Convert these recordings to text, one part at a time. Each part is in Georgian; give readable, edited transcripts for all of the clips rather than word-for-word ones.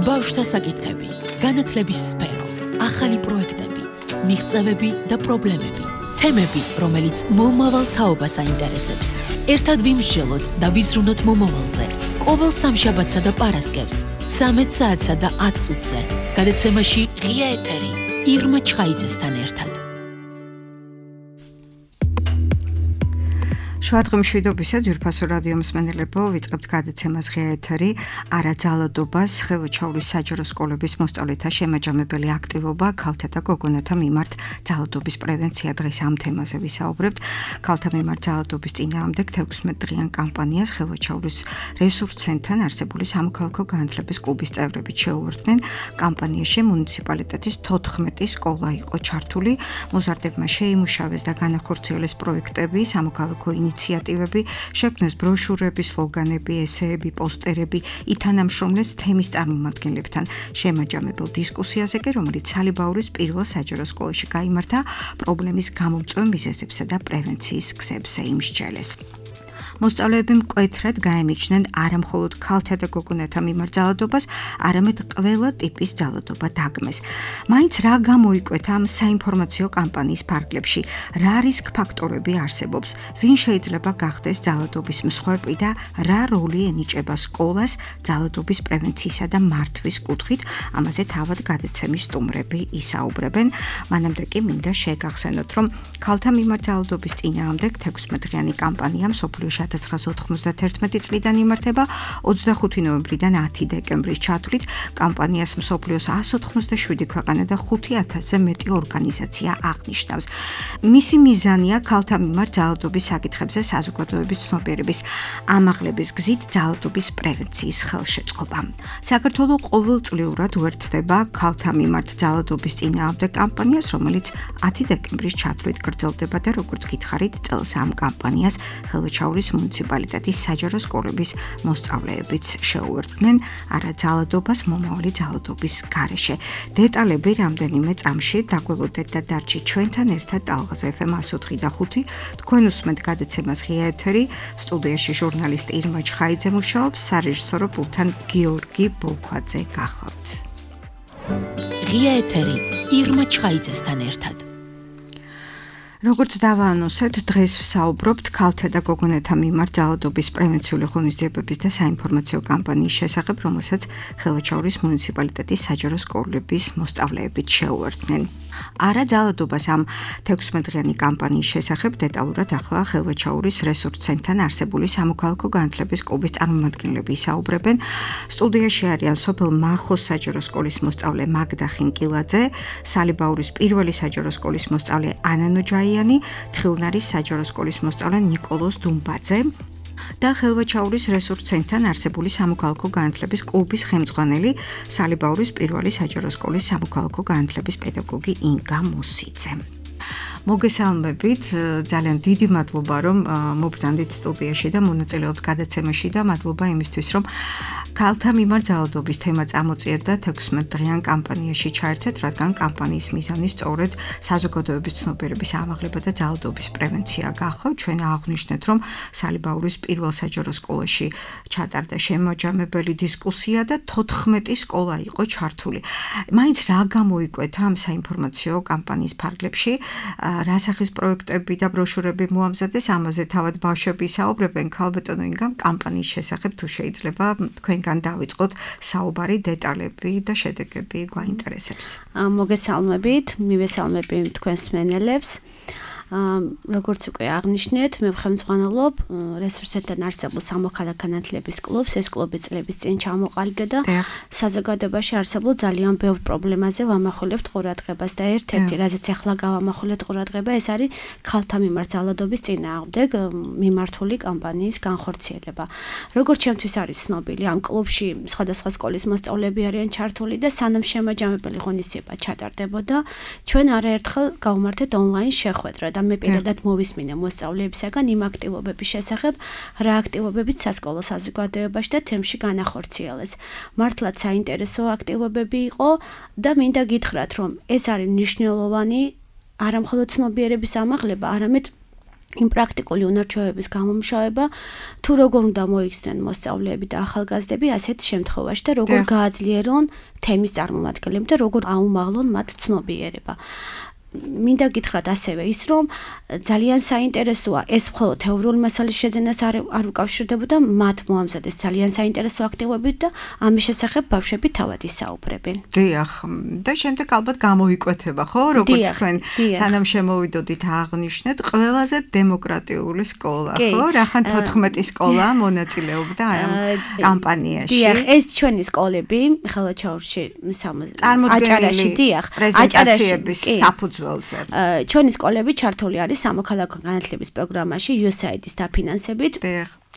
ბავშვთა საკითხები, განათლების სფერო, ახალი პროექტები, მიღწევები და პრობლემები, თემები, რომელიც მომავალ თაობას აინტერესებს. ერთად ვიმსჯელოთ და ვიზრუნოთ მომავალზე. ყოველ სამშაბათსა და პარასკევს 13 საათსა და 10 წუთზე. გადაცემაში ღია ეთერი ირმა ჩხაიძესთან ერთად. შუადღე მშვიდობისა ძვირფასო რადიო მსმენელებო, ვიწყებთ გადაცემას ღია ეთერი არაძალადობას, ხელვაჩაურის საჯარო სკოლების მოსწავლეთა შემაჯამებელი აქტივობა, ქალთა და გოგონათა მიმართ ძალადობის პრევენცია. დღეს ამ თემაზე ვისაუბრებთ. ქალთა მიმართ ძალადობის წინააღმდეგ 16 დღიან კამპანიას ხელვაჩაურის რესურს ცენტრთან არსებული სამოქალაქო განათლების კლუბის წევრები შეუერთდნენ. კამპანიაში მუნიციპალიტეტის 14 სკოლა იყო ჩართული. მოზარდებმა შეიმუშავეს და განახორციელეს პროექტები, სამოქალაქო ინიციატივები, შექმნეს ბროშურები, სლოგანები, ესეები, პოსტერები, ითანამშრომლეს თემის წარმომადგენლებთან შემაჯამებელ დისკუსიაზე, რომელიც სალიბაურის პირველ საჯარო სკოლაში გაიმართა, პრობლემის გამომწვევ მიზეზებსა და პრევენციის გზებზე იმსჯელეს. მოსწავლეები მკვეთრად გაემიჩნდნენ არა მხოლოდ ქალთა და გოგონათა მიმართ ძალადობას, არამედ ყველა ტიპის ძალადობა დაგმეს. მაინც რა გამოიკვეთა ამ საინფორმაციო კამპანიის ფარგლებში, რა რისკ ფაქტორები არსებობს, ვინ შეიძლება გახდეს ძალადობის მსხვერპლი და რა როლი ენიჭება სკოლას ძალადობის პრევენციისა და მართვის კუთხით, ამაზე თავად გადაცემის სტუმრები ისაუბრებენ. მანამდე კი მინდა შეგახსენოთ, რომ ქალთა მიმართ ძალადობის წინააღმდეგ 16 დღიანი კამპანია მსოფლიოში 1991 წლიდან იმართება, 25 ნოემბრიდან 10 დეკემბრის ჩათვლით კამპანიას მსოფლიოს 187 ქვეყანა და 5000-ზე მეტი ორგანიზაცია აღნიშნავს. მისი მიზანია ქალთა მიმართ ძალადობის საკითხებზე საზოგადოების ცნობიერების ამაღლების გზით ძალადობის პრევენციის ხელშეწყობა. საქართველო ყოველწლიურად უერთდება ქალთა მიმართ ძალადობის წინააღმდეგ კამპანიას, რომელიც 10 დეკემბრის ჩათვლით გრძელდება და როგორც გითხარით, წელს ამ კამპანიას ხელვაჩაურის მუნიციპალიტეტის საჯარო სკოლების მოსწავლეებიც შეუერთდნენ არაძალადობას მომავალი ძალადობის გარეშე. დეტალები რამდენიმე წამში დაგველოდეთ და დარჩით ჩვენთან ერთად ტალღაზე FM 104.5. თქვენ უსმენთ გადაცემას ღია ეთერი, სტუდიაში ჟურნალისტი ირმა ჩხაიძე მუშაობს, სარეჟისორო პულტთან გიორგი ბოლქვაძე გახლავთ. ღია ეთერი ირმა ჩხაიძესთან ერთად. როგორც დავაანონსეთ, დღეს ვსაუბრობთ ქალთა და გოგონათა მიმართ ძალადობის პრევენციული ღონისძიებების და საინფორმაციო კამპანიის შესახებ, რომელსაც ხელვაჩაურის მუნიციპალიტეტის საჯარო სკოლების მოსწავლეებიც შეუერთდნენ. არაძალადობას ამ 16 დღიანი კამპანიის შესახებ დეტალურად ახლა ხელვაჩაურის რესურს ცენტრთან არსებული სამოქალაქო განათლების კლუბის წარმომადგენლები ისაუბრებენ. სტუდიაში არიან სოფელ მახოს საჯარო სკოლის მოსწავლე მაგდა ხინკილაძე, სალიბაურის პირველი საჯარო სკოლის მოსწავლე ანა ნოჯაიანი, თხილნარის საჯარო სკოლის მოსწავლე ნიკოლოზ დუმბაძე და ხელვაჩაურის რესურს ცენტრთან არსებული სამოქალაქო განათლების კლუბის ხელმძღვანელი, სალიბაურის პირველი საჯარო სკოლის სამოქალაქო განათლების პედაგოგი ინგა მოსიძე. მოგესალმებით, ძალიან დიდი მადლობა, რომ მობრძანდით სტუდიაში და მონაწილეობთ გადაცემაში და მადლობა იმისთვის, რომ ქალთა მიმართ ძალადობის თემა წამოწიერდა 16 დღიან კამპანიაში ჩაერთეთ, რადგან კამპანიის მიზანი სწორედ საზოგადოების ცნობიერების ამაღლება და ძალადობის პრევენცია გახლავთ. ჩვენ აღვნიშნეთ, რომ სალიბაურის პირველ საჯარო სკოლაში ჩატარდა შემაჯამებელი დისკუსია და 14 სკოლა იყო ჩართული. მაინც რა გამოიკვეთა ამ საინფორმაციო კამპანიის ფარგლებში, რა სახის პროექტები და ბროშურები მოამზადეს, ამაზე თავად ბავშვები ისაუბრებენ. ქალბატონო ინგამ, კამპანიის შესახებ თუ შეიძლება თქვენგან დავიწყოთ საუბარი, დეტალები და შედეგები გვაინტერესებს. მოგესალმებით, მივესალმები თქვენს მსმენელებს. როგორც უკვე აღნიშნეთ, მე ვხელმძღვანელობ რესურსებთან არსებულ სამოქალაქო განათლების კლუბს. ეს კლუბი წლების წინ ჩამოყალიბდა და საზოგადოებაში არსებულ ძალიან ბევრ პრობლემაზე ვამახვილებთ ყურადღებას და ერთ-ერთი, რაზეც ახლა გავამახვილებთ ყურადღება, ეს არის ქალთა მიმართ ძალადობის წინააღმდეგ მიმართული კამპანიის განხორციელება. როგორც ჩემთვის არის ცნობილი, ამ კლუბში სხვადასხვა სკოლის მოსწავლეები არიან ჩართული და სანამ შემაჯამებელი ღონისძიება ჩატარდებოდა, ჩვენ არაერთხელ გავმართეთ ონლაინ შეხვედრა და მე პირადად მოვისმინე მოსწავლეებისაგან იმ აქტივობების შესახებ, რა აქტივობებიც სასკოლო საზოგადოებაში და თემში განახორციელეს. მართლაც საინტერესო აქტივობები იყო და მინდა გითხრათ, რომ ეს არის მნიშვნელოვანი არა მხოლოდ ცნობიერების ამაღლება, არამედ იმ პრაქტიკული უნარჩვევების გამომშავება თუ როგორ უნდა მოიქცნენ მოსწავლეები და ახალგაზრდები ასეთ შემთხვევაში და როგორ გააძლიერონ თემის წარმომადგენლებს და როგორ აუმაღლონ მათ ცნობიერება. მინდა გითხრათ ასევე ის, რომ ძალიან საინტერესოა ეს მხოლოდ თეორიული მასალის შეძენას არ უკავშირდებოდა, მათ მოამზადეს ძალიან საინტერესო აქტივობები და ამის შესახებ ბავშვები თავად ისაუბრებენ. დიახ, და შემდეგ ალბათ გამოიკვეთება, ხო, როგორც თქვენ სანამ შემოვიდოდით აღნიშნეთ, ყველაზე დემოკრატიული სკოლა, ხო? რახან 14 სკოლა მონაწილეობდა ამ კამპანიაში. დიახ, ეს ჩვენი სკოლები ხელვაჩაურში აჭარაში, დიახ, აჭარაშიების საფუძველი ჩვენი სკოლები ჩართული არის სამოქალაქო განათლების პროგრამაში USAID-ის დაფინანსებით.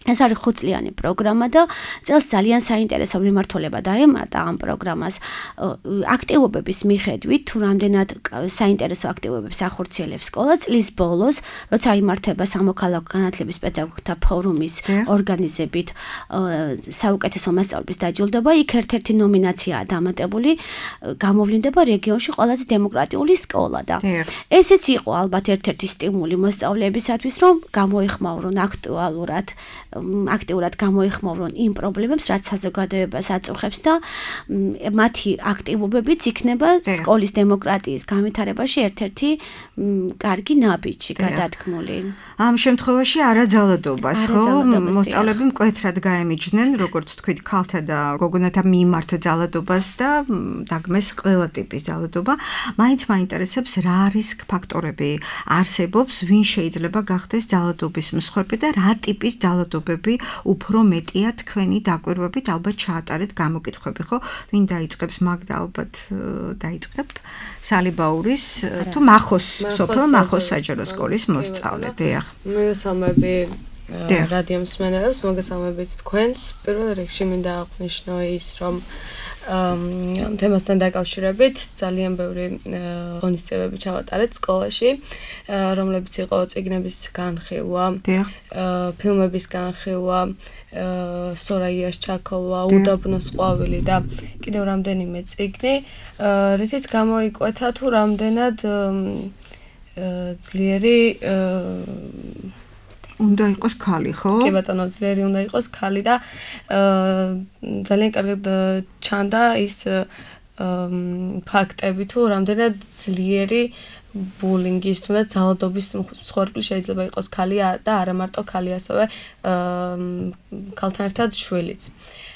ეს არის 5 წლიანი პროგრამა და წელს ძალიან საინტერესო მიმართულება დაემართა ამ პროგრამას. აქტივობების მიხედვით, თუ რამდენად საინტერესო აქტივობებს ახორციელებს სკოლა, წლის ბოლოს, როცა იმართება სამოქალაქო განათლების პედაგოგთა ფორუმის ორგანიზებით საუკეთესო მასწავლებლის დაჯილდოება, იქ ერთ-ერთი ნომინაციაა დამატებული, გამოვლინდება რეგიონში ყველაზე დემოკრატიული სკოლა და ესეც იყო ალბათ ერთ-ერთი სტიმული მოსწავლეებისათვის, რომ გამოიხმაურონ აქტიურად გამოიხმაურონ იმ პრობლემებს, რაც საზოგადოებას აწუხებს და მათი აქტივობებიც იქნება სკოლის დემოკრატიის განვითარებაში ერთ-ერთი კარგი ნაბიჯი გადადგმული. ამ შემთხვევაში არაძალადობას, ხო? მოსწავლეები მკვეთრად გაემიჯნენ, როგორც თქვით, ქალთა და გოგონათა მიმართ ძალადობას და დაგმეს ყველა ტიპის ძალადობა. მაინც მაინტერესებს რა რისკ ფაქტორები არსებობს, ვინ შეიძლება გახდეს ძალადობის მსხვერპლი და რა ტიპის ძალადობები უფრო მეტია თქვენი დაკვირვებით, ალბათ ჩაატარეთ გამოკითხვები, ხო? ვინ დაიწყებს, მაგდა ალბათ დაიწყებ სალიბაურის თუ მახოს, სოფელ მახოს საჯარო სკოლის მოსწავლე. დიახ. მოგესალმები რადიო მსმენელებს, მოგესალმებით თქვენს. პირველ რიგში მინდა აღვნიშნო ის, რომ ამ თემასთან დაკავშირებით ძალიან ბევრი ღონისძიებები ჩავატარეთ სკოლაში, რომლებიც იყო წიგნების განხილვა, ფილმების განხილვა, სორაიას ჩაქოლვა, უდაბნოს ყვავილი და კიდევ რამდენიმე წიგნი, რითიც გამოიკვეთა თუ რამდენად ძლიერი უნდა იყოს ქალი, ხო? კი ბატონო, ძლიერი უნდა იყოს ქალი და ძალიან კარგად ჩანდა ის ფაქტები თუ რამდენად ძლიერი ბულინგის თუ და ძალადობის მსხვერპლი შეიძლება იყოს ქალი და არა მარტო ქალი, ასევე ქალთან ერთად შვილიც.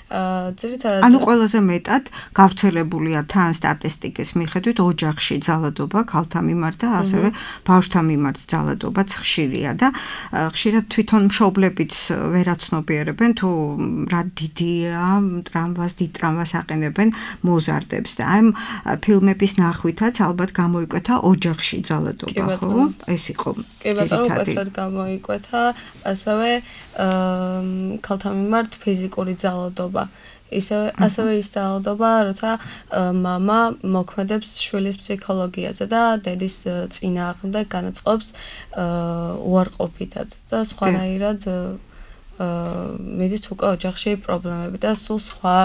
ანუ ყველაზე მეტად გავრცელებულია თან სტატისტიკის მიხედვით ოჯახში ძალადობა ქალთა მიმართ და ასევე ბავშვთა მიმართ ძალადობაც ხშირია და ხშირად თვითონ მშობლებიც ვერაცნობიერებენ თუ რა დიდია დიდ ტრამვას აყენებენ მოზარდებს და ამ ფილმების ნახვითაც ალბათ გამოიკვეთა ოჯახში ძალადობა, ხო? ეს იყო ძირითადი. გამოიკვეთა ასევე ქალთა მიმართ ფიზიკური ძალადობა. ასევე ის ძალადობა, როცა მამა მოქმედებს შვილის ფსიქოლოგიაზე და დედის წინააღმდეგ განაწყობს უარყოფითად და სხვანაირად მიდის უკვე ოჯახში პრობლემები და სულ სხვა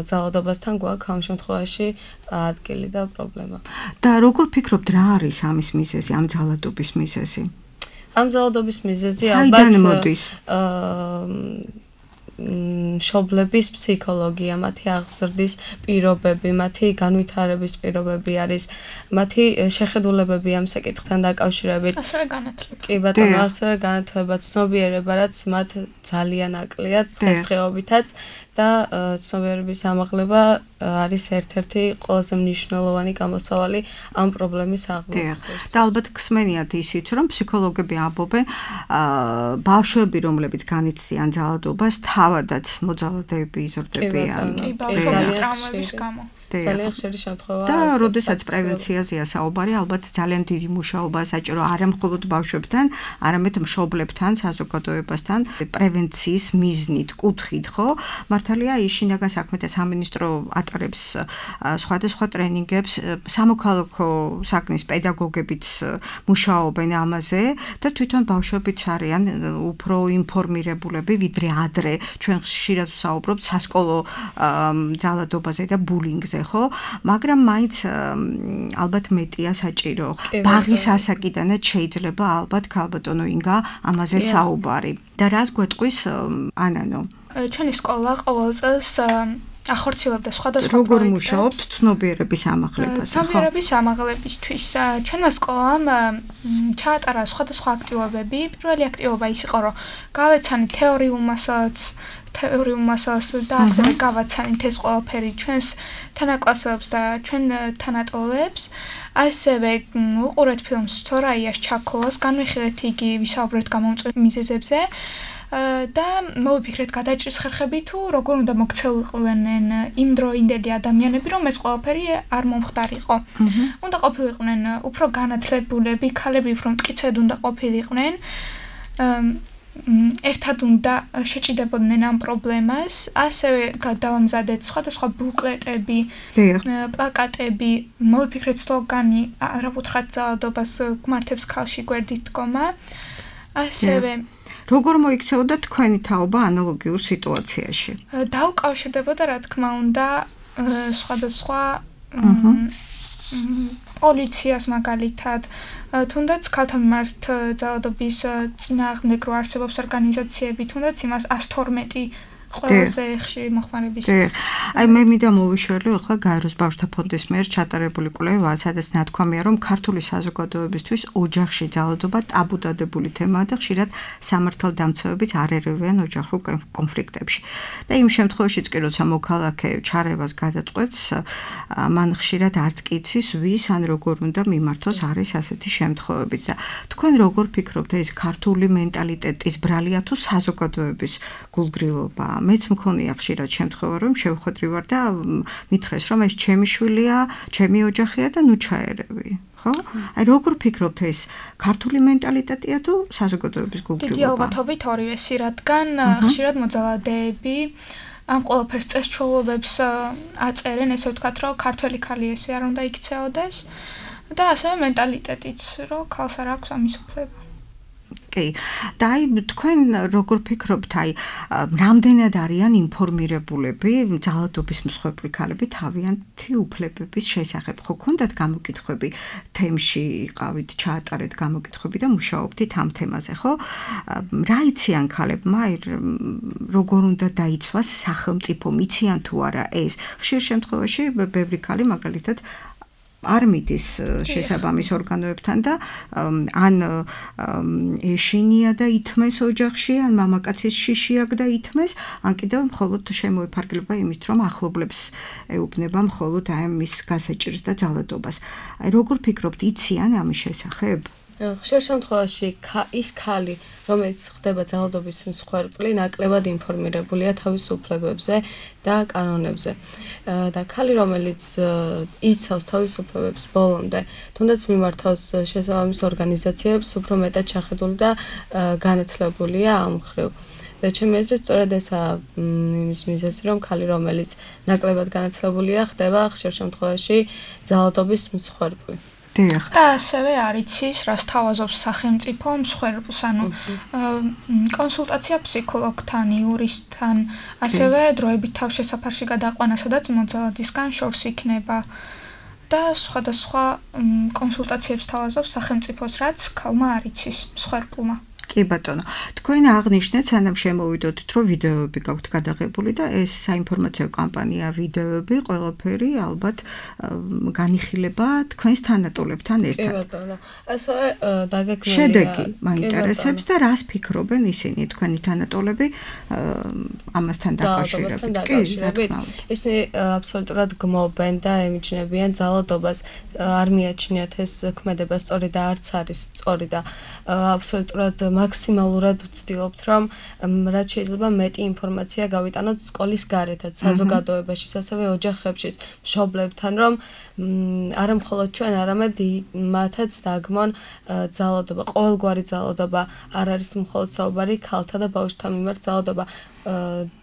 ძალადობასთან გვაქვს ამ შემთხვევაში ადგილი და პრობლემა. და როგორ ფიქრობთ, რა არის ამის მიზეზი, ამ ძალადობის მიზეზი? ამ ძალადობის მიზეზი საიდან მოდის? მშობლების ფსიქოლოგია, მათი აღზრდის პირობები, მათი განვითარების პირობები არის, მათი შეხედულებები ამ საკითხთან დაკავშირებით. ასევე განათლება. კი ბატონო, ასევე განათლება, ცნობიერება, რაც მათ ძალიან აკლია დღესდღეობითაც და ცნობიერების ამაღლება არის ერთ-ერთი ყველაზე მნიშვნელოვანი გამოსავალი ამ პრობლემის აღმოჩენაში. და ალბათ გსმენიათ ისიც, რომ ფსიქოლოგები ამბობენ, ბავშვები, რომლებიც განიცდიან ძალადობას, თავადაც მოძალადეები იზრდებიან. კი, ბავშვების ტრავმების გამო. ძალიან ხშირი შემთხვევაა. და როდესაც პრევენციაზეა საუბარი, ალბათ ძალიან დიდი მუშაობა საჭირო არა მხოლოდ ბავშვებთან, არამედ მშობლებთან, საზოგადოებასთან, პრევენციის მიზნით, კუთხით, ხო? მართალია ის შინაგან საქმეთა სამინისტრო ატარებს სხვადასხვა ტრენინგებს, სამოქალაქო საქმის პედაგოგებიც მუშაობენ ამაზე და თვითონ ბავშვებიც არიან უფრო ინფორმირებულები, ვიდრე ადრე ჩვენ ხშირად ვსაუბრობთ სასკოლო ძალადობაზე და ბულინგზე, ხო? მაგრამ მაინც ალბათ მეტია საჭირო. ბაღის ასაკიდანაც შეიძლება ალბათ ქალბატონო ინგა ამაზე საუბარი. და რას გვეტყვის ანანო? ჩვენი სკოლა ყოველ წელს ახორციელებდა სხვადასხვა როგორ მუშაობთ ცნობიერების ამაღლებაზე, ხო? ცნობიერების ამაღლებისთვის ჩვენმა სკოლამ ჩაატარა სხვადასხვა აქტივობები. პირველი აქტივობა ის იყო, რომ გავეცანით თეორიულ მასალას და ასევე გავაცანით ეს ყველაფერი ჩვენს თანაკლასელებს და ჩვენ თანატოლებს. ასევე უყურეთ ფილმს სორაიას ჩაქოლას, განვიხილეთ იგი, ვისაუბრეთ გამომწვევ მიზეზებზე. და მოვიფიქრეთ გადაჭრის ხერხები თუ როგორ უნდა მოქცეულიყვნენ იმდროინდელი ადამიანები, რომ ეს ყველაფერი არ მომხდარიყო. უნდა ყოფილიყვნენ უფრო განათლებულები, ქალები უფრო მტკიცედ უნდა ყოფილიყვნენ. ერთად უნდა შეჭიდებოდნენ ამ პრობლემას, ასევე დავამზადეთ სხვადასხვა ბუკლეტები, პლაკატები, მოვიფიქრეთ სლოგანი არა უთხრათ ძალადობას გმართებს ქალში გვერდით დგომა. ასევე როგორ მოიქცეოდა თქვენი თაობა ანალოგიურ სიტუაციაში? დაუკავშირდებოდა რა თქმა უნდა სხვადასხვა პოლიციას მაგალითად, თუნდაც ქალთა მიმართ ძალადობის წინააღმდეგ რო არსებობს ორგანიზაციები, თუნდაც იმას 112 ყველაზე ხშირი მოხმარების. აი მე მინდა მოვიშველო ახლა გაეროს ბავშვთა ფონდის მიერ ჩატარებული კვლევა, სადაც ნათქვამია, რომ ქართული საზოგადოებისთვის ოჯახში ძალადობა ტაბუდადებული თემაა და ხშირად სამართალდამცავებიც არ ერევიან ოჯახურ კონფლიქტებში. და იმ შემთხვევაშიც კი როცა მოქალაქე ჩარევას გადაწყვეტს, მან ხშირად არც კი იცის ვის ან როგორ უნდა მიმართოს არის ასეთი შემთხვევებიც. და თქვენ როგორ ფიქრობთ, ეს ქართული მენტალიტეტის ბრალია თუ საზოგადოების გულგრილობა? მეც მქონია ხშირად შემთხვევა, რომ შევხვედრი ვარ და მითხრეს, რომ ეს ჩემი შვილია, ჩემი ოჯახია და ნუ ჩაერევი. ხო? აი როგორ ფიქრობთ, ეს ქართული მენტალიტეტია თუ საზოგადოების გულგრილობა? დიდი ალბათობით ორივესი, რადგან ხშირად მოძალადეები ამ ყველაფერს წესჩვეულებებს აწერენ, ესე ვთქვათ, რომ ქართველი ქალი ესე არ უნდა იქცეოდეს და ასევე მენტალიტეტიც, რომ ქალს არ აქვს ამის უფლება. კი. და აი თქვენ როგორ ფიქრობთ, აი რამდენად არიან ინფორმირებულები ძალადობის მსხვერპლი ქალები თავიანთი უფლებების შესახებ? ხო, ქონდათ გამოკითხვები თემში, იყავით, ჩაატარეთ გამოკითხვები და მუშაობდით ამ თემაზე, ხო? რა იციან ქალებმა, როგორ უნდა დაიცვას სახელმწიფო, მიციან თუ არა ეს? ხშირ შემთხვევაში ბევრი ქალი მაგალითად არ მიდის შესაბამის ორგანოებთან და ან ეშინია და ითმეს ოჯახში, ან მამაკაცის შიში აქვს და ითმეს, ან კიდევ მხოლოდ შემოიფარგლება იმით, რომ ახლობლებს ეუბნება მხოლოდ აი მის გასაჭირს და ძალადობას. აი როგორ ფიქრობთ, იციან ამის შესახებ? ხშირ შემთხვევაში ის ქალი, რომელიც ხდება ძალადობის მსხვერპლი, ნაკლებად ინფორმირებულია თავის უფლებებზე და კანონებზე. და ქალი, რომელიც იცავს თავის უფლებებს ბოლომდე, თუნდაც მიმართავს შესაბამის ორგანიზაციებს, უფრო მეტად შეხედული და განათლებულია ამ მხრივ. და ჩემი აზრით, სწორედ ესაა იმის მიზეზი, რომ ქალი, რომელიც ნაკლებად განათლებულია, ხდება ხშირ შემთხვევაში ძალადობის მსხვერპლი. და ასევე არ იცის, რას თავაზობს სახელმწიფო მსხვერპლს, ანუ კონსულტაცია ფსიქოლოგთან, იურისტთან, ასევე დროებით თავშესაფარში გადაყვანა, სადაც მოძალადისგან შორს იქნება და სხვადასხვა კონსულტაციებს თავაზობს სახელმწიფოს, რაც ქალმა არ იცის მსხვერპლმა. კი ბატონო, თქვენ აღნიშნეთ, სანამ შემოვიდოდით, რომ ვიდეოები გაქვთ გადაღებული და ეს საინფორმაციო კამპანია, ვიდეოები, ყველაფერი ალბათ განიხილება თქვენს თანატოლებთან ერთად. კი ბატონო, ასევე დაგეგმილია შედეგი მაინტერესებს და რას ფიქრობენ ისინი, თქვენი თანატოლები ამასთან დაკავშირებით? ისინი აბსოლუტურად გმობენ და ემიჯნებიან ძალადობას, არ მიაჩნიათ ეს ქმედება სწორი და არც არის სწორი და აბსოლუტურად მაქსიმალურად ვცდილობთ, რომ რაც შეიძლება მეტი ინფორმაცია გავიტანოთ სკოლის გარეთაც, საზოგადოებაშიც, ასევე ოჯახებშიც, მშობლებთან, რომ არა მხოლოდ ჩვენ, არამედ მათაც დაგმონ ძალადობა, ყოველგვარი ძალადობა, არ არის მხოლოდ საუბარი ქალთა და ბავშვთა მიმართ ძალადობა.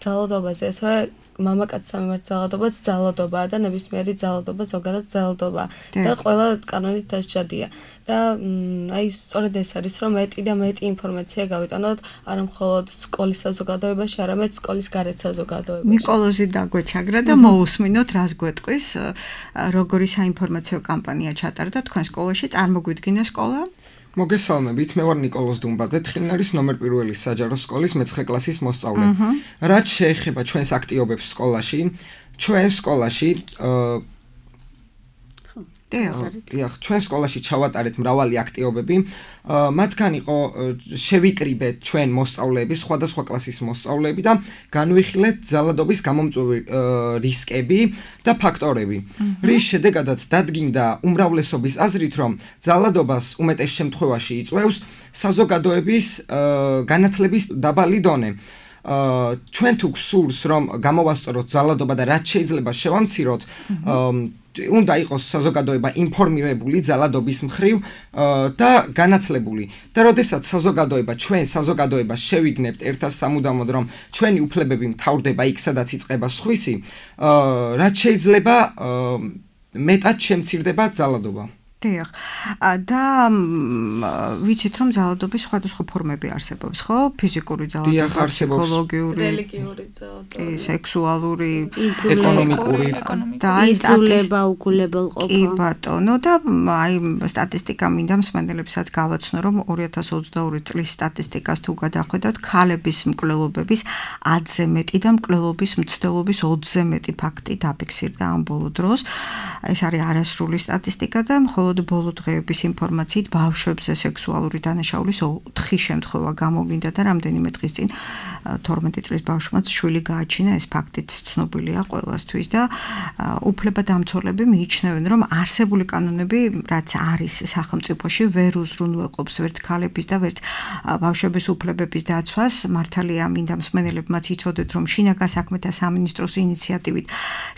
ძალადობაზე ასევე მამაკაცთა მიმართ ძალადობაც ძალადობაა და ნებისმიერი ძალადობა ზოგადად ძალადობაა და ყველა კანონით დასჯადია. და აი სწორედ ეს არის რომ მეტი და მეტი ინფორმაცია გავიტანოთ არა მხოლოდ სკოლის საზოგადოებაში, არამედ სკოლის გარეთ საზოგადოებაში. ნიკოლოზი დაგვეჩაგრა და მოусმინოთ რას გვეტყვის, როგორი საინფორმაციო კამპანია ჩატარდა თქვენ სკოლაში, წარმოგვიდგინა სკოლა? მოგესალმებით, მე ვარ ნიკოლოზ დუმბაძე, თხილნარის ნომერ 1 საჯარო სკოლის მე-9 კლასის მოსწავლე. რაც შეეხება ჩვენს აქტივობებს სკოლაში, ჩვენ სკოლაში ჩვენ სკოლაში ჩავატარეთ მრავალი აქტივობები, მათგან იყო შევიკრიბეთ ჩვენ მოსწავლეები, სხვადასხვა კლასის მოსწავლეები და განვიხილეთ ძალადობის გამომწვევი რისკები და ფაქტორები. რის შედეგადაც დადგინდა უმრავლესობის აზრით, რომ ძალადობას უმეტეს შემთხვევაში იწვევს საზოგადოების განათლების დაბალი დონე. ჩვენ თუ გსურს რომ გამოვასწოროთ ძალადობა და რაც შეიძლება შევამციროთ, უნდა იყოს საზოგადოება ინფორმირებული ძალადობის მხრივ და განათლებული. და როდესაც ჩვენ საზოგადოება შევიგნებთ ერთად სამუდამოდ, რომ ჩვენი უფლებები მთავრდება იქ, სადაც იწყება სხვისი, რაც შეიძლება მეტად შემცირდება ძალადობა. დიახ. და ვიცით რომ ძალადობის სხვადასხვა ფორმები არსებობს, ხო? ფიზიკური ძალადობა, ფსიქოლოგიური, რელიგიური ძალადობა, სექსუალური, ეკონომიკური და იზოლება, უგულებელყოფა. კი ბატონო, და აი სტატისტიკა მინდა მსმენელებსაც გავაცნო, რომ 2022 წლის სტატისტიკას თუ გადახვედროთ, ქალების მკვლელობების 10-ზე მეტი და მკვლელობის მცდელობის 20-ზე მეტი ფაქტი დაფიქსირდა ამ ბოლო დროს. ეს არის არასრული სტატისტიკა და მხოლოდ ბოლო დღეების ინფორმაციით ბავშვებზე სექსუალური დანაშაულის 4 შემთხვევა გამოვიდა და რამდენიმე დღის წინ 12 წლის ბავშვმაც შვილი გააჩინა, ეს ფაქტიც ცნობილია ყველასთვის და უფლებადამცველები მიიჩნევენ, რომ არსებული კანონები, რაც არის სახელმწიფოში, ვერ უზრუნველყოფს ვერც ქალების და ვერც ბავშვების უფლებების დაცვას. მართალია, მინდა მსმენელებმაც იცოდეთ, რომ შინაგან საქმეთა სამინისტროს ინიციატივით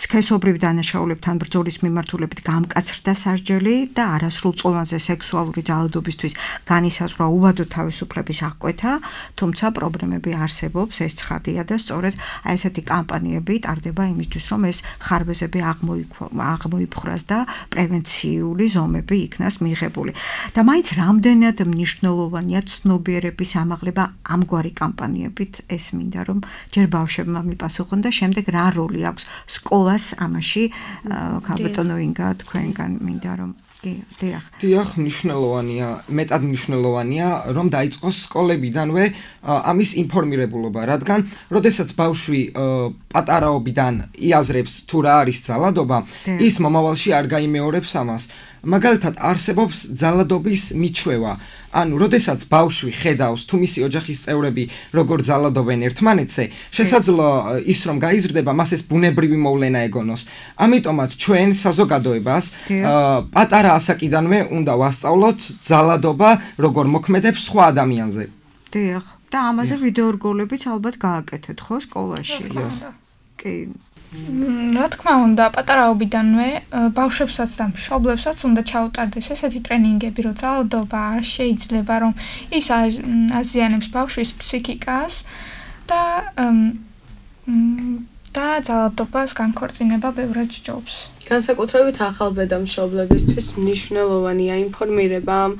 სქესობრივ დანაშაულებთან ბრძოლის მიმართულებით გამკაცრდა სასჯელი და არასრულ წონაზე სექსუალური ძალადობისთვის განისაზღვრა უვადო თავისუფლების აღკვეთა, თუმცა პრობლემები არსებობს, ეს ცხადია და სწორედ აი ესეთი კამპანიები ტარდება იმისთვის, რომ ეს ხარბეზები აღმოიფხვრას და პრევენციული ზომები იქნას მიღებული. და მაინც რამდენად მნიშვნელოვანია ცნობიერების ამაღლება ამგვარი კამპანიებით, ეს მინდა რომ ჯერ ბავშვებმა მიპასუხონ და შემდეგ რა როლი აქვს სკოლას ამაში, ქალბატონო ინგა, თქვენგან მინდა რომ დიახ, მნიშვნელოვანია, მეტად მნიშვნელოვანია, რომ დაიწყოს სკოლებიდანვე ამის ინფორმირებულობა, რადგან როდესაც ბავშვი პატარაობიდან იაზრებს თუ რა არის ძალადობა, ის მომავალში არ გაიმეორებს ამას. მაგალითად, არსებობს ძალადობის მიჩვევა. ანუ, როდესაც ბავშვი ხედავს თუ მისი ოჯახის წევრები როგორ ძალადობენ ერთმანეთზე, შესაძლოა ის რომ გაიზრდება, მას ეს ბუნებრივი მოვლენა ეგონოს. ამიტომაც ჩვენ საზოგადოებას პატარა ასაკიდანვე უნდა ვასწავლოთ ძალადობა როგორ მოქმედებს სხვა ადამიანზე. დიახ. და ამაზე ვიდეო რგოლებიც ალბათ გააკეთეთ, ხო, სკოლაში? კი. რა თქმა უნდა, პატარაობიდანვე ბავშვებსაც და მშობლებსაც უნდა ჩაუტარდეს ესეთი ტრენინგები, რომ ძალადობა არ შეიძლება, რომ ის აზიანებს ბავშვის ფსიქიკას და ძალადობას განქორწინება ბევრად სჯობს. განსაკუთრებით ახალბედა მშობლებისთვის მნიშვნელოვანია ინფორმირება ამ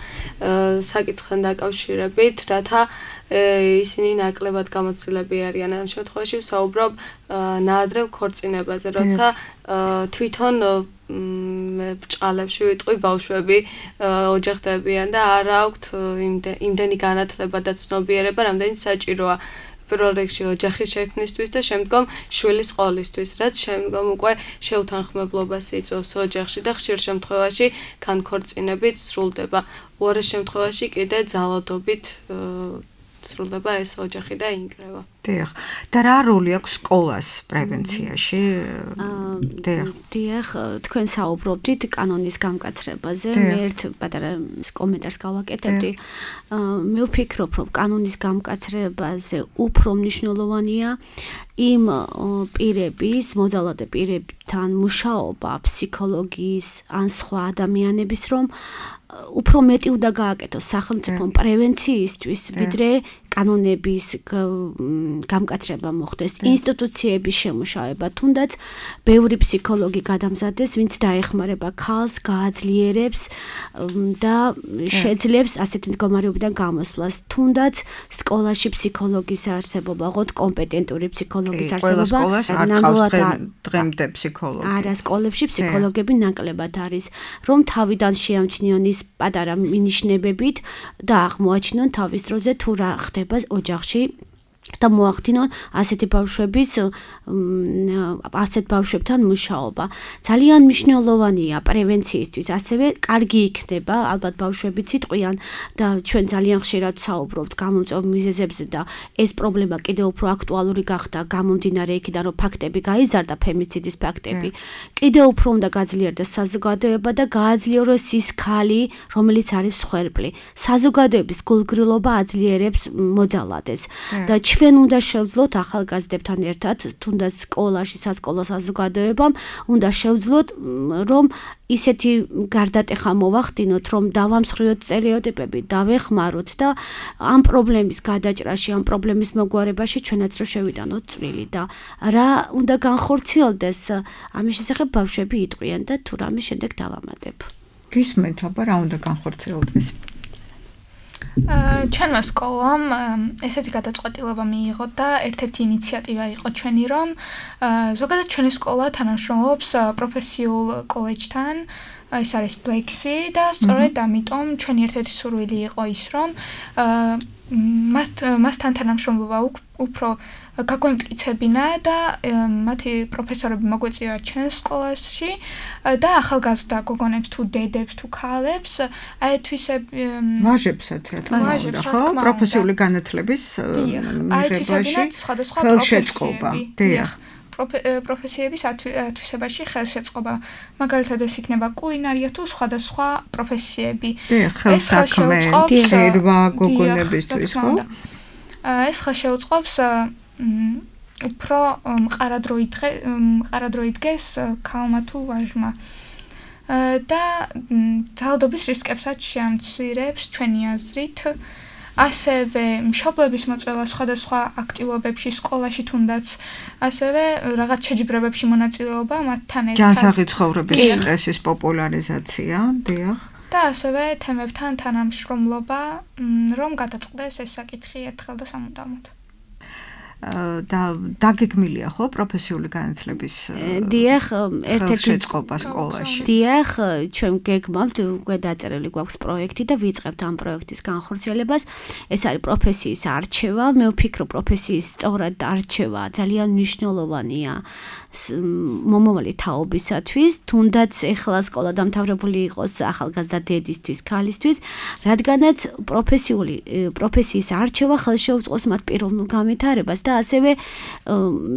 საკითხთან დაკავშირებით, რათა ისინი ნაკლებად გამოცდილები არიან ამ შემთხვევაში ვსაუბრობ ნაადრევ ქორწინებაზე, როცა თვითონ ბჭყალებში ვიტყვი ბავშვები ოჯახდებიან და არ აქვთ იმდენი განათლება და ცნობიერება, რამდენიც საჭიროა პირველ რიგში ოჯახის შექმნისთვის და შემდგომ შვილის ყოლისთვის, რაც შემდგომ უკვე შეუთანხმებლობას იწვევს ოჯახში და ხშირ შემთხვევაში განქორწინებით სრულდება. უარეს შემთხვევაში კიდე ძალადობით სრულდება ეს ოჯახი და ინკრება. დიახ. და რა როლი აქვს სკოლას პრევენციაში? დიახ, თქვენ საუბრობდით კანონის გამკაცრებაზე. მე ერთ პატარა კომენტარს გავაკეთებდი. მე ვფიქრობ, რომ კანონის გამკაცრებაზე უფრო მნიშვნელოვანია იმ პირების, მოძალადე პირებთან მუშაობა ფსიქოლოგიის ან სხვა ადამიანების, რომ უფრო მეტი უნდა გააკეთოს სახელმწიფო პრევენციისთვის, ვიდრე კანონების გამკაცრება მოხდეს, ინსტიტუციების შემუშავება, თუნდაც ბევრი ფსიქოლოგი გადამზადდეს, ვინც დაეხმარება ქალს, გააძლიერებს და შეძლებს ასეთ მდგომარეობიდან გამოსვლას, თუნდაც სკოლაში ფსიქოლოგის არსებობა, ოღონდ კომპეტენტური ფსიქოლოგის არსებობა, ნამდვილად დღემდე ფსიქოლოგი. არა, სკოლებში ფსიქოლოგები ნაკლებად არის, რომ თავიდან შეამჩნიონ ის პატარა მინიშნებებით და აღმოაჩინონ თავის დროზე თუ რა ხდება ოჯახში და მოახდინონ ასეთ ბავშვებთან მუშაობა. ძალიან მნიშვნელოვანია პრევენციისთვის, ასევე კარგი იქნება, ალბათ ბავშვებიც იტყვიან და ჩვენ ძალიან ხშირად საუბრობთ გამომწვევ მიზეზებზე და ეს პრობლემა კიდევ უფრო აქტუალური გახდა გამომდინარე იქიდან, რომ ფაქტები გაიზარდა, ფემიციდის ფაქტები. კიდევ უფრო უნდა გაძლიერდეს საზოგადოება და გააძლიეროს ის ქალი, რომელიც არის მსხვერპლი. საზოგადოების გულგრილობა აძლიერებს მოძალადეს და ჩვენ უნდა შევძლოთ ახალგაზრდებთან ერთად, თუნდაც სკოლაში, სასკოლო საზოგადოებამ, უნდა შევძლოთ, რომ ისეთი გარდატეხა მოვახდინოთ, რომ დავამსხვრიოთ სტერეოტიპები, დავეხმაროთ და ამ პრობლემის გადაჭრაში, ამ პრობლემის მოგვარებაში ჩვენაც რო შევიტანოთ წვლილი და რა უნდა განხორციელდეს, ამის შესახებ ბავშვები იტყვიან და თუ რამე შემდეგ დავამატებ. გისმენთ, აბა რა უნდა განხორციელდეს? ჩვენმა სკოლამ ესეთი გადაწყვეტილება მიიღო და ერთ-ერთი ინიციატივა იყო ჩვენი, რომ ზოგადად ჩვენი სკოლა თანამშრომლობს პროფესიულ კოლეჯთან, ეს არის Black-ი და სწორედ ამიტომ ჩვენი ერთ-ერთი სურვილი იყო ის, რომ მასთან თანამშრომლობა უფრო გაგვემტკიცებინა და მათი პროფესორები მოგვეწია ჩვენს სკოლაში და ახალგაზრდა გოგონებს თუ დედებს თუ ქალებს აეთვისები ვაჟებსაც რა თქმა უნდა, ხო? პროფესიული განათლების მიღებაში ხელშეწყობა. დიახ. პროფესიების ათვისებაში ხელშეწყობა. მაგალითად ეს იქნება კულინარია თუ სხვადასხვა პროფესიები. ეს ხელსაქმე, ცერვა გოგონებისთვის, ხო? ეს ხელშეუწყობს უფრო მყარადრო იდგეს ქალმა თუ ვაჟმა. და ძალადობის რისკებსაც შეამცირებს ჩვენი აზრით. ასევე მშობლების მოწვევა სხვადასხვა აქტივობებში სკოლაში თუნდაც ასევე რაღაც შეჯიბრებებში მონაწილეობა მათთან ერთად ჯანსაღი ცხოვრების წესის პოპულარიზაცია, დიახ. და ასევე თემებთან თანამშრომლობა, რომ გადაწყდეს ეს საკითხი ერთხელ და სამუდამოდ. და დაგეგმილია ხო პროფესიული განათლების დიახ, ერთ-ერთი შეწყობა სკოლაში. დიახ, ჩვენ გეგმავთ, უკვე დაწერილი გვაქვს პროექტი და ვიწყებთ ამ პროექტის განხორციელებას. ეს არის პროფესიის არჩევა. მე ვფიქრობ, პროფესიის სწორად არჩევა ძალიან მნიშვნელოვანია მომავალი თაობისათვის, თუნდაც ეხლა სკოლა დამთავრებული იყოს ახალგაზრდა დედისთვის, ქალისთვის, რადგანაც პროფესიის არჩევა ხელშეუწყობს მათ პიროვნულ განვითარებას და ასევე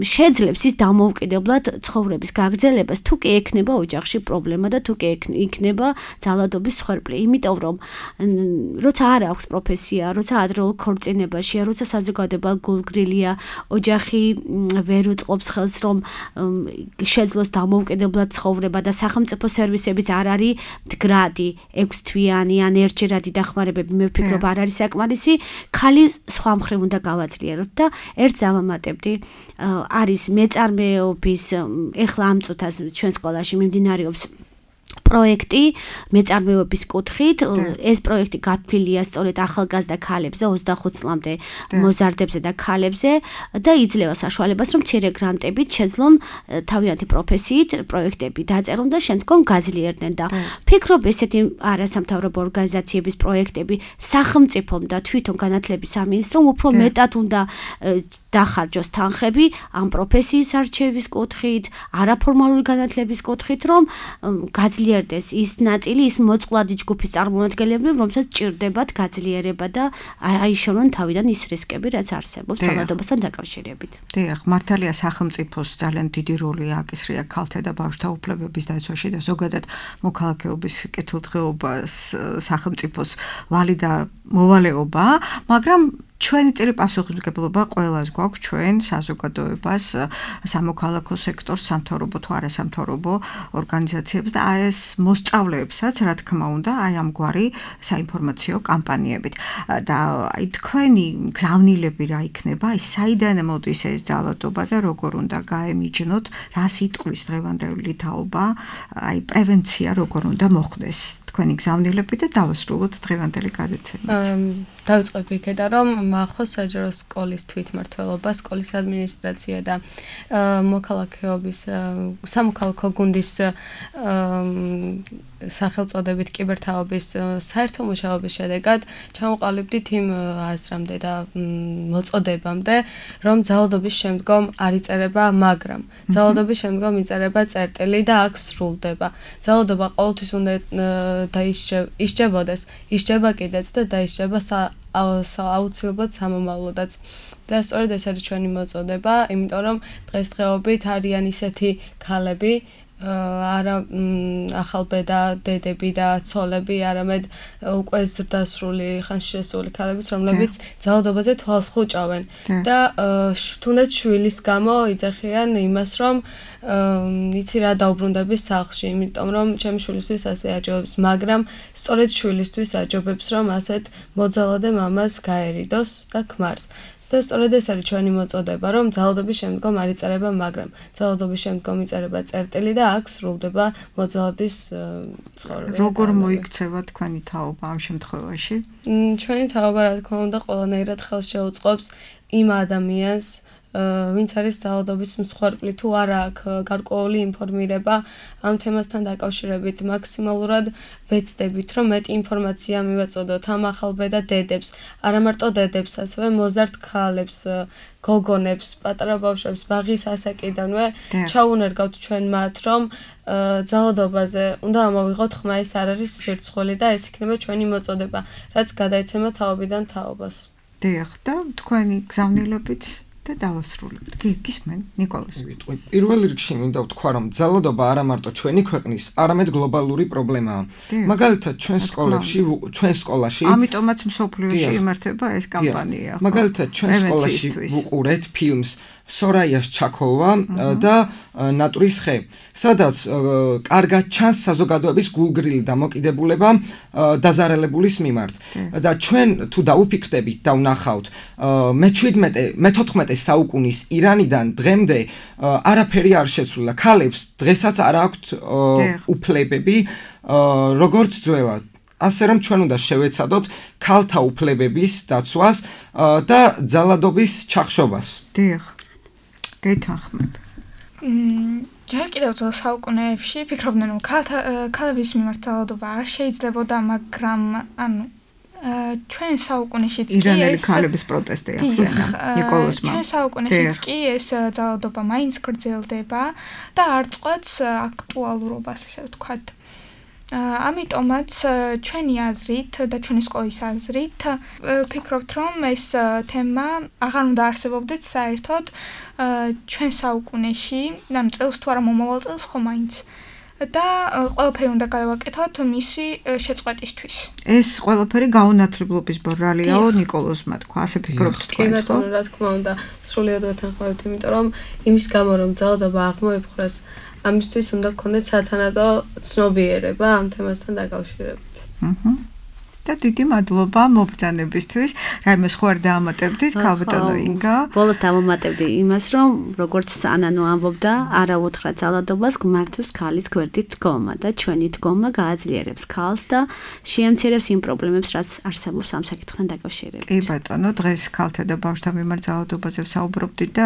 შეძლებს ის დამოუკიდებლად ცხოვრების გაგრძელებას, თუ კი ექნება ოჯახში პრობლემა და თუ კი იქნება ძალადობის მსხვერპლი. იმიტომ რომ როცა არ აქვს პროფესია, როცა ადრეულ ქორწინებაშია, როცა საზოგადოება გულგრილია, ოჯახი ვერ უწყობს ხელს, რომ შეძლოს დამოუკიდებლად ცხოვრება და სახელმწიფო სერვისებიც არ არის მდგრადი, 6 თვიანი ან ერთჯერადი დახმარებები, მე ვფიქრობ, არ არის საკმარისი, ხალი სხვა მხრივ უნდა გავაძლიეროთ და ერთ დავამატებდი, არის მეწარმეობის, ეხლა ამ წუთას ჩვენ სკოლაში მიმდინარეობს პროექტი მეწარმეობის კუთხით. ეს პროექტი გათვლილია სწორედ ახალგაზრდა ქალებზე, 25 წლამდე მოზარდებზე და ქალებზე და იძლევა საშუალებას, რომ მცირე გრანტებით შეძლონ თავიანთი პროფესიით პროექტები დაწერონ და შემდგომ გაძლიერდნენ და ფიქრობ, ესეთი არასამთავრობო ორგანიზაციების პროექტები სახელმწიფომ და თვითონ განათლების სამინისტრომ უფრო მეტად უნდა დახარჯოს თანხები ამ პროფესიის არჩევის კუთხით, არაფორმალური განათლების კუთხით, რომ გაძლიერდეს ის ნაწილი, ის მოწყვლადი ჯგუფის წარმომადგენლები, რომელსაც ჭირდებათ გაძლიერება და აიშორონ თავიდან ის რისკები, რაც არსებობს ძალადობასთან დაკავშირებით. დიახ, მართალია სახელმწიფოს ძალიან დიდი როლი აკისრია ქალთა და ბავშვთა უფლებების დაცვაში და ზოგადად მოქალაქეობის კეთილდღეობას სახელმწიფოს ვალი და მოვალეობა, მაგრამ ჩვენი წილი პასუხისმგებლობა ყველას გვაქვს ჩვენ საზოგადოებას, სამოქალაქო სექტორს, სამთავრობო თუ არასამთავრობო ორგანიზაციებს და ეს მოსწავლეებსაც, რა თქმა უნდა, აი ამგვარი საინფორმაციო კამპანიებით. და აი თქვენი გზავნილები რა იქნება, აი საიდან მოდის ეს ძალადობა და როგორ უნდა გაემიჯნოთ, რას იტყვის დღევანდელი თაობა, აი პრევენცია როგორ უნდა მოხდეს. თქვენი გზავნილები და დავასრულოთ დღევანდელი გადაცემაც. დავიწყებ იქედა, რომ მახოს საჯარო სკოლის თვითმმართველობა, სკოლის ადმინისტრაცია და მოქალაქეობის სამოქალაქო გუნდის სახელწოდებით კიბერთაობის საერთო მუშაობის შედეგად ჩამოყალიბდით იმ აზრამდე და მოწოდებამდე, რომ ძალადობის შემდგომ არ იწერება, მაგრამ ძალადობის შემდგომ იწერება წერტილი და აქ სრულდება. ძალადობა ყოველთვის უნდა ისჯებოდეს, ისჯება კიდეც და დაისჯება აუცილებლად სამომავლოდაც. და სწორედ ეს არის ჩვენი მოწოდება, იმიტომ რომ დღესდღეობით არიან ისეთი ქალები, არა ახალბედა დედები და ცოლები, არამედ უკვე ზრდასრული, ხანში შესული ქალებიც, რომლებიც ძალადობაზე თვალს ხუჭავენ და თუნდაც შვილის გამო იძახიან იმას, რომ იცი რა დაუბრუნდები სახლში, იმიტომ რომ ჩემი შვილისთვის ასე აჯობებს, მაგრამ სწორედ შვილისთვის აჯობებს, რომ ასეთ მოძალადე მამას გაერიდოს და ქმარს. და სწორედ ეს არის ჩვენი მოწოდება, რომ ძალადობის შემდგომ არ იწერება, მაგრამ ძალადობის შემდგომ იწერება წერტილი და აქ სრულდება მოძალადის ცხოვრება. როგორ მოიქცევა თქვენი თაობა ამ შემთხვევაში? ჩვენი თაობა, რა თქმა უნდა, ყველანაირად ხელს შეუწყობს იმ ადამიანს, ვინც არის ძალადობის მსხვერპლი თუ არა აქვს გარკვეული ინფორმირება ამ თემასთან დაკავშირებით, მაქსიმალურად ვეცდებით, რომ მეტი ინფორმაცია მივაწოდოთ ამ ახალბედა დედებს, არა მარტო დედებს, ასევე მოზარდ ქალებს, გოგონებს, პატარა ბავშვებს, ბაღის ასაკიდანვე ჩაუნერგავთ ჩვენ მათ, რომ ძალადობაზე უნდა ამოვიღოთ ხმა, ეს არ არის სირცხველი და ეს იქნება ჩვენი მოწოდება, რაც გადაეცემა თაობიდან თაობას. დიახ, და თქვენი გზავნილებით და დავასრულებთ. გისმენ, ნიკოლას. პირველ რიგში მინდა ვთქვა, რომ ძალადობა არა მარტო ჩვენი ქვეყნის, არამედ გლობალური პრობლემაა. მაგალითად, ჩვენ სკოლაში, ამიტომაც მსოფლიოში იმართება ეს კამპანია. მაგალითად, ჩვენ სკოლაში ვუყურეთ ფილმს სორაიას ჩაქოლვა და ნატურის ხე, სადაც კარგად ჩანს საზოგადოების გულგრილი დამოკიდებულება დაზარალებულის მიმართ. და ჩვენ თუ დაუფიქრდებით და ვნახავთ მე-14 საუკუნის ირანიდან დღემდე არაფერი არ შეცვლილა. ქალებს დღესაც არ აქვთ უფლებები როგორც ძველად. ასე რომ ჩვენ უნდა შევეცადოთ ქალთა უფლებების დაცვას და ძალადობის ჩახშობას. დიახ. გეთანხმებ. ჯერ კიდევ ძველ საუკუნეებში ფიქრობდნენ, რომ ქალების მიმართ ძალადობა არ შეიძლებოდა, მაგრამ ანუ ჩვენ საუკუნეშიც კი ირანელი ქალების პროტესტი ახსენა ნიკოლოსმა. ჩვენ საუკუნეშიც კი ეს ძალადობა მაინც გრძელდება და არ წყვეტს აქტუალურობას, ასე ვთქვათ. ამიტომაც ჩვენი აზრით და ჩვენი სკოლის აზრით ვფიქრობთ, რომ ეს თემა აღარ უნდა არსებობდეს საერთოდ ჩვენ საუკუნეში, ანუ წელს თუ არა მომავალ წელს ხო მაინც. და ყველაფერი უნდა გავაკეთოთ მისი შეწყვეტისთვის. ეს ყველაფერი გაუნათლებლობის ბრალიაო ნიკოლოსმა თქვა, ასე ფიქრობთ თქვენ ხო? კი, რა თქმა უნდა, სრულიად ვეთანხმებით, იმიტომ რომ იმის გამო რომ ძალადობა აღმოიფხვრას, ამისთვის უნდა გქონდეს სათანადო ცნობიერება ამ თემასთან დაკავშირებით. და დიდი მადლობა მობრძანებისთვის. რაიმე სხვა არ დაამატებდით, ქალბატონო ინგა? ბოლოს დავამატებდი იმას, რომ როგორც ანანო ამბობდა, არა უთხრა ძალადობას გმართებს ქალის გვერდით დგომა და ჩვენი დგომა გააძლიერებს ქალს და შეამცირებს იმ პრობლემებს, რაც არსებობს ამ საკითხთან დაკავშირებით. კი ბატონო, დღეს ქალთა და ბავშვთა მიმართ ძალადობაზე ვსაუბრობდით და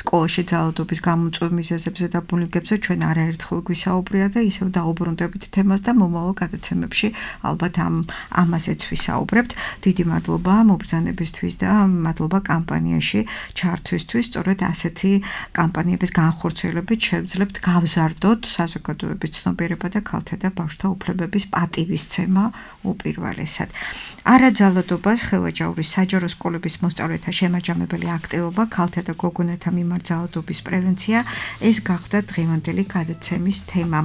სკოლაში ძალადობის გამომწვევ მიზეზებზე და ბუნიკებზე ჩვენ არაერთხელ გვისაუბრია და ისევ დაუბრუნდებით თემას და მომავალ გადაცემებში ალბათ ამაზეც ვისაუბრებთ. დიდი მადლობა მობრძანებისთვის და მადლობა კამპანიაში ჩართვისთვის. სწორედ ასეთი კამპანიების განხორციელებით შევძლებთ გავზარდოთ საზოგადოების ცნობიერება და ქალთა და ბავშვთა უფლებების პატივისცემა უპირველესად. არაძალადობას ხელვაჯაურის საჯარო სკოლების მოსწავლეთა შემაჯამებელი აქტივობა, ქალთა და გოგონათა მიმართ ძალადობის პრევენცია, ეს გახდა დღევანდელი გადაცემის თემა.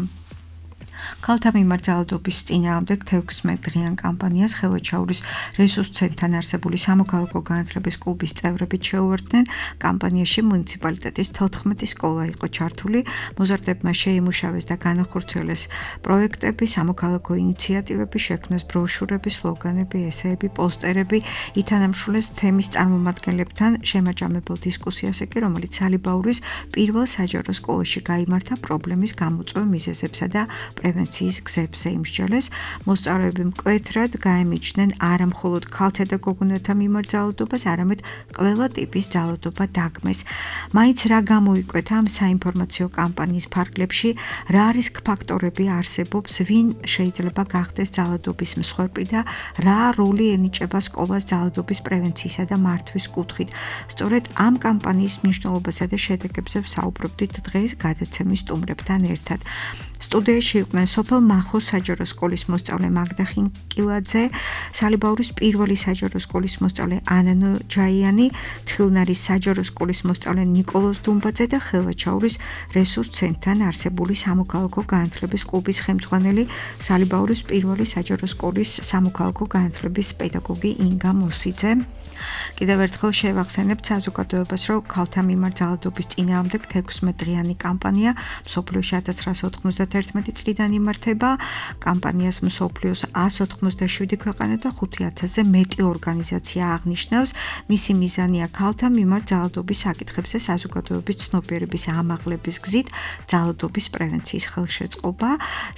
ხალთა მიმართ ძალადობის წინააღმდეგ 16 დღიან კამპანიას ხელვაჩაურის რესურს ცენტრთან არსებული სამოქალაქო განათლების კლუბის წევრებით შეუერთდნენ. კამპანიაში მუნიციპალიტეტის 14 სკოლა იყო ჩართული. მოზარდებმა შეიმუშავეს და განახორციელეს პროექტები, სამოქალაქო ინიციატივები, შექმნეს ბროშურები, სლოგანები, ესეები, პოსტერები, ითანამშრომლეს თემის წარმომადგენლებთან შემაჯამებელ დისკუსიაზე კი, რომელიც სალიბაურის პირველ საჯარო სკოლაში გაიმართა პრობლემის გამოწვევ მიზეზებსა და პრევენციის გზებზე იმსჯელეს. მოსწავლეები მკვეთრად გაემიჯნენ არა მხოლოდ ქალთა და გოგონათა მიმართ ძალადობას, არამედ ყველა ტიპის ძალადობა დაგმეს. მაინც რა გამოიკვეთა ამ საინფორმაციო კამპანიის ფარგლებში, რა არის ფაქტორები არსებობს, ვინ შეიძლება გახდეს ძალადობის მსხვერპლი და რა როლი ენიჭება სკოლას ძალადობის პრევენციისა და მართვის კუთხით. სწორედ ამ კამპანიის მნიშვნელობასა და შედეგებზე ვსაუბრობდით დღეს გადაცემის სტუმრებთან ერთად. სტუდიაში იყვნენ სოფელ მახოს საჯარო სკოლის მოსწავლე მაგდა ხინკილაძე, სალიბაურის პირველი საჯარო სკოლის მოსწავლე ანანო ჯაიანი, თხილნარის საჯარო სკოლის მოსწავლე ნიკოლოზ დუმბაძე და ხელვაჩაურის რესურს ცენტრთან არსებული სამოქალაქო განათლების კლუბის ხელმძღვანელი, სალიბაურის პირველი საჯარო სკოლის სამოქალაქო განათლების პედაგოგი ინგა მოსიძე. კიდევ ერთხელ შევახსენებთ საზოგადოებას, რომ ქალთა მიმართ ძალადობის წინააღმდეგ 16 დღიანი კამპანია მსოფლიოში 1991 წლიდან იმართება. კამპანიას მსოფლიოს 197 ქვეყანა და 5000-ზე მეტი ორგანიზაცია აღნიშნავს. მისი მიზანია ქალთა მიმართ ძალადობის საკითხებზე საზოგადოების ცნობიერების ამაღლების გზით ძალადობის პრევენციის ხელშეწყობა.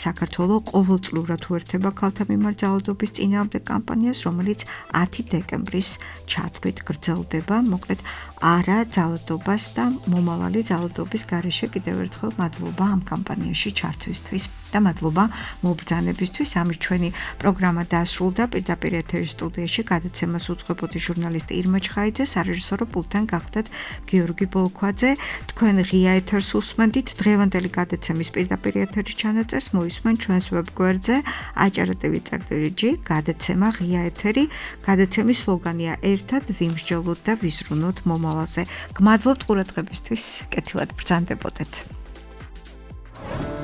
საქართველოს ყოველწლიურად უერთდება ქალთა მიმართ ძალადობის წინააღმდეგ კამპანიას, რომელიც 10 დეკემბრის ჩათვლით გრძელდება. მოკლედ არა ძალადობას და მომავალი ძალადობის გარეშე კიდევ ერთხელ მადლობა ამ კამპანიაში ჩართვისთვის და მადლობა მობრძანებისთვის. ამის ჩვენი პროგრამა დასრულდა. პირდაპირ ეთერის სტუდიაში გადაცემას უძღვებოდი ჟურნალისტი ირმა ჩხაიძე, სარეჟისორო პულტთან გახდათ გიორგი ბოლქვაძე. თქვენ ღია ეთერს უსმენდით. დღევანდელი გადაცემის პირდაპირ ეთერის ჩანაწერს მოისმენ ჩვენს ვებგვერდზე acara.tv.g გადაცემა ღია ეთერი. გადაცემის სლოგანია ერთად ვიმსჯელოთ და ვიზრუნოთ მომავალზე. გმადლობთ ყურადღებისთვის. კეთილად ბრძანდებოდეთ.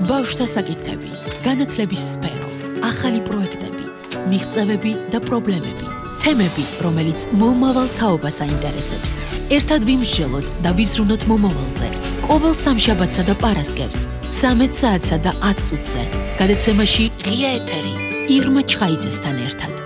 ბავშვთა საკითხები, განათლების სფერო, ახალი პროექტები, მიღწევები და პრობლემები, თემები, რომელიც მომავალ თაობას აინტერესებს. ერთად ვიმსჯელოთ და ვიზრუნოთ მომავალზე. ყოველ სამშაბათსა და პარასკევს 13 საათსა და 10 წუთზე. გადაცემაში ღია ეთერი ირმა ჩხაიძესთან ერთად.